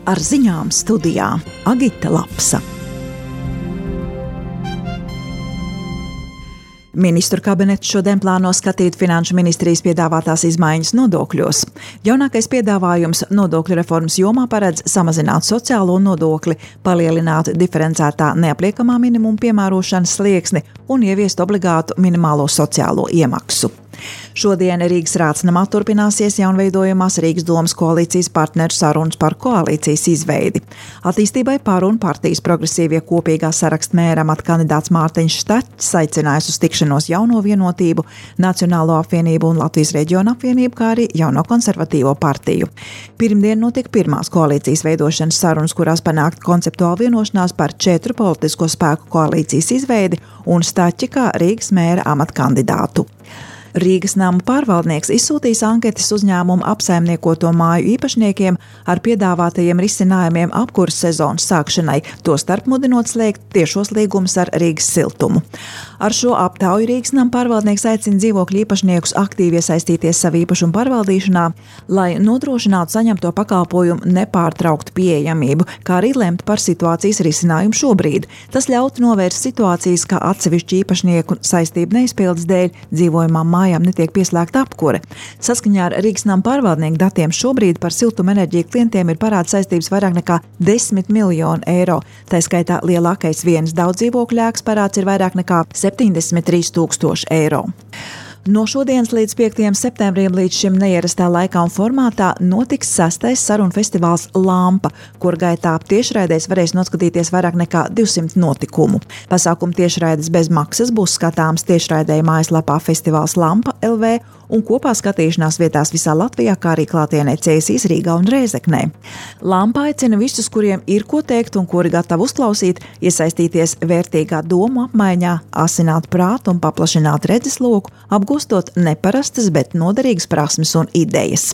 Ar ziņām studijā Agita Lapsa. Ministru kabinets šodien plāno skatīt Finanšu ministrijas piedāvātās izmaiņas nodokļos. Jaunākais piedāvājums nodokļu reformas jomā paredz samazināt sociālo nodokli, palielināt diferencētā neapliekamā minimuma piemērošanas slieksni un ieviest obligātu minimālo sociālo iemaksu. Šodien Rīgas Rātsnamā turpināsies jaunveidojamās Rīgas domas koalīcijas partneru sarunas par koalīcijas izveidi. Attīstībai par un partijas progresīvie kopīgā saraksta mēra amata kandidāts Mārtiņš Štaķis aicinājis uz tikšanos Jauno Vienotību, Nacionālo apvienību un Latvijas reģionu apvienību, kā arī Jauno konservatīvo partiju. Pirmdien notika pirmās koalīcijas veidošanas sarunas, kurās panākt konceptuāla vienošanās par 4 politisko spēku koalīcijas izveidi un Štaķi kā Rīgas mēra amata kandidātu. Rīgas nama pārvaldnieks izsūtīs anketas uzņēmumu apsaimniekoto māju īpašniekiem ar piedāvātajiem risinājumiem apkuras sezonas sākšanai, tostarp mudinot slēgt tiešos līgumus ar Rīgas siltumu. Ar šo aptauju Rīgas nama pārvaldnieks aicina dzīvokļu īpašniekus aktīvi iesaistīties savu īpašumu pārvaldīšanā, lai nodrošinātu saņemto pakalpojumu nepārtrauktu pieejamību, kā arī lemt par situācijas risinājumu šobrīd. Tas ļautu novērst situācijas, kā atsevišķu īpašnieku saistību neizpildes dēļ dzīvojamām mājām netiek pieslēgta apkure. Saskaņā ar Rīgas nama pārvaldnieku datiem šobrīd par siltumenerģiju klientiem ir parāda saistības vairāk nekā 10 miljonu eiro. Tā skaitā lielākais vienas daudzdzīvokļu ēkas parāds ir vairāk nekā 73 000 eiro. No šodienas līdz 5. septembrim līdz šim neierastā laikā un formātā notiks 6. sarunu festivāls Lampa, kur gaitā tiešraidēs varēs noskatīties vairāk nekā 200 notikumu. Pasākumu tiešraides bez maksas būs skatāms tiešraidē mājaslapā festivāls Lampa LV un kopā skatīšanās vietās visā Latvijā, kā arī klātienē Cēsīs, Rīgā un Rēzeknē. Lampa aicina visus, kuriem ir ko teikt un kuri gatavi uzklausīt, iesaistīties vērtīgā domu apmaiņā, asināt prātu un paplašināt redzesloku, apgūstot neparastas, bet noderīgas prasmes un idejas.